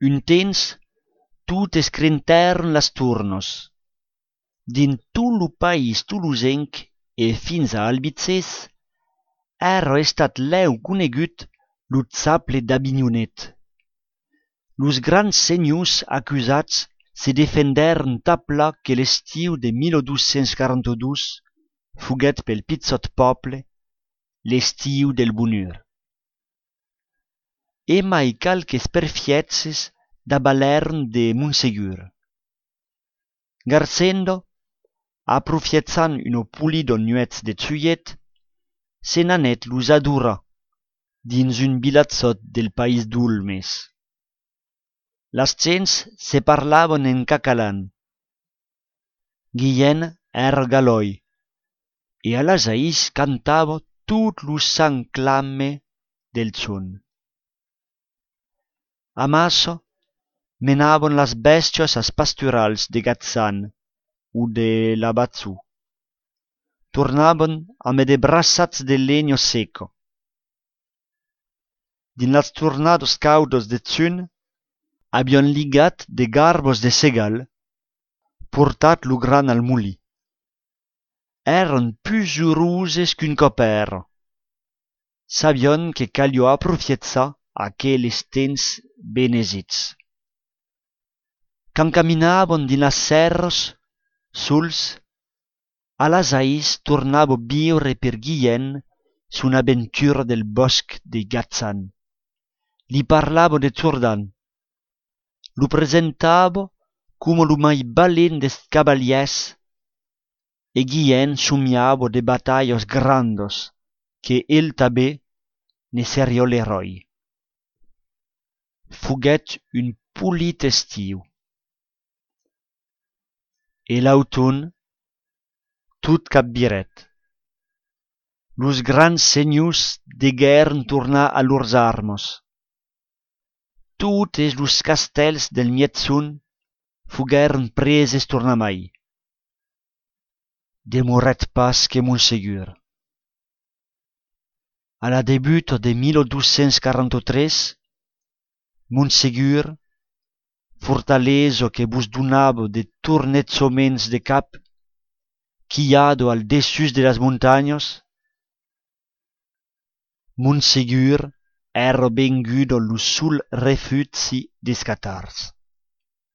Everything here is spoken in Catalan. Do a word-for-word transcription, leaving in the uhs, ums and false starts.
un temps, tot escrentèron las turnos. Din tot lo país tolosenc e fins a Albizès, ère estat lèu conegut lo zaple d'Avignonet. Los grands senhors accusats se defendèren tapla que l'estiu de mil dos cents quaranta-dos foguèt pel pitzot pòple l'estiu del bonheur. E mai calques perfiètzes d'abalèron de Montsegur. Garcendo, aprofiatzant uno polidon nuets de truiet, se n'anèt los adorar dins un bilatzot del país d'Ulmes. Las gents se parlavan en catalan. Guillén ère galoi, e a las aïs cantava tot lo sang clame del son. Amasso menavan las bèstias as pasturals de Gazzan o de l'Abazzù. Tornavan amb de braçats de legno seco. Din las tornados caudos de Zun, avion ligat de garbos de segal, portat lo gran al muli. Èran plus uroses qu'un copèro. Sabion que calio aprofiatzar aqueles temps benesits. Quand caminavan din las serres, sols, a las aïs tornava viure per Guillén son aventura del bosc de Gazzan. Li parlava de Turdan. Lo presentava come lo mai balent des cavaliers e Guillén somiava de batalhas grandos que el també ne seriò l'eroi. Foguèt un polit estiu. E l'automn, tot capviret. Los grands senhors deguèren tornar a lors armos. Totes los castells del mietzon foguèren preses tornamai. Demorèt pas que Montsegur. A la debut de mil dos cents quaranta-tres, Montsegur, fortaleso que vos donava de tornetzoments de cap, quillado al dessus de las montañas, Montsegur era vengudo lo sul refugi des catars.